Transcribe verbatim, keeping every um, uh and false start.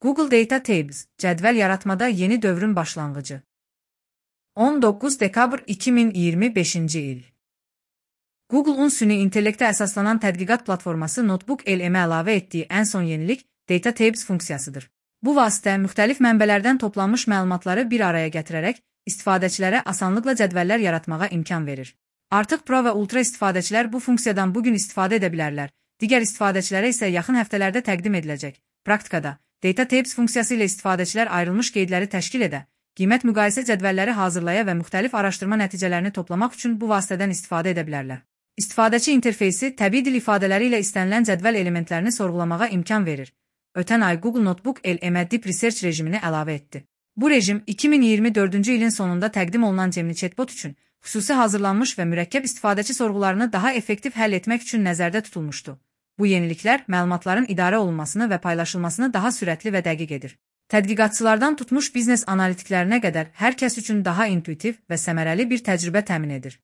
Google Data Tables, cədvəl yaratmada yeni dövrün başlanğıcı. on doqquz dekabr iki min iyirmi beşinci il. Google'un süni intellektə əsaslanan tədqiqat platforması Notebook-L M-ə əlavə etdiyi ən son yenilik Data Tables funksiyasıdır. Bu vasitə müxtəlif mənbələrdən toplanmış məlumatları bir araya gətirərək istifadəçilərə asanlıqla cədvəllər yaratmağa imkan verir. Artıq Pro və Ultra istifadəçilər bu funksiyadan bugün istifadə edə bilərlər. Digər istifadəçilərə isə yaxın həftələrdə təqdim ediləcək. Praktikada, Data Tables funksiyası ilə istifadəçilər ayrılmış qeydləri təşkil edə, qiymət müqayisə cədvəlləri hazırlaya və müxtəlif araşdırma nəticələrini toplamaq üçün bu vasitədən istifadə edə bilərlər. İstifadəçi interfeysi təbii dil ifadələri ilə istənilən cədvəl elementlərini sorğulamağa imkan verir. Ötən ay Google Notebook-L M-ə Deep Research rejimini əlavə etdi. Bu rejim iki min iyirmi dördüncü ilin sonunda təqdim olunan Gemini chatbot üçün xüsusi hazırlanmış və mürəkkəb istifadəçi sorğularını daha effektiv həll etmək üçün nəzərdə tutulmuşdu. Bu yeniliklər məlumatların idarə olunmasını və paylaşılmasını daha sürətli və dəqiq edir. Tədqiqatçılardan tutmuş biznes analitiklərinə qədər hər kəs üçün daha intuitiv və səmərəli bir təcrübə təmin edir.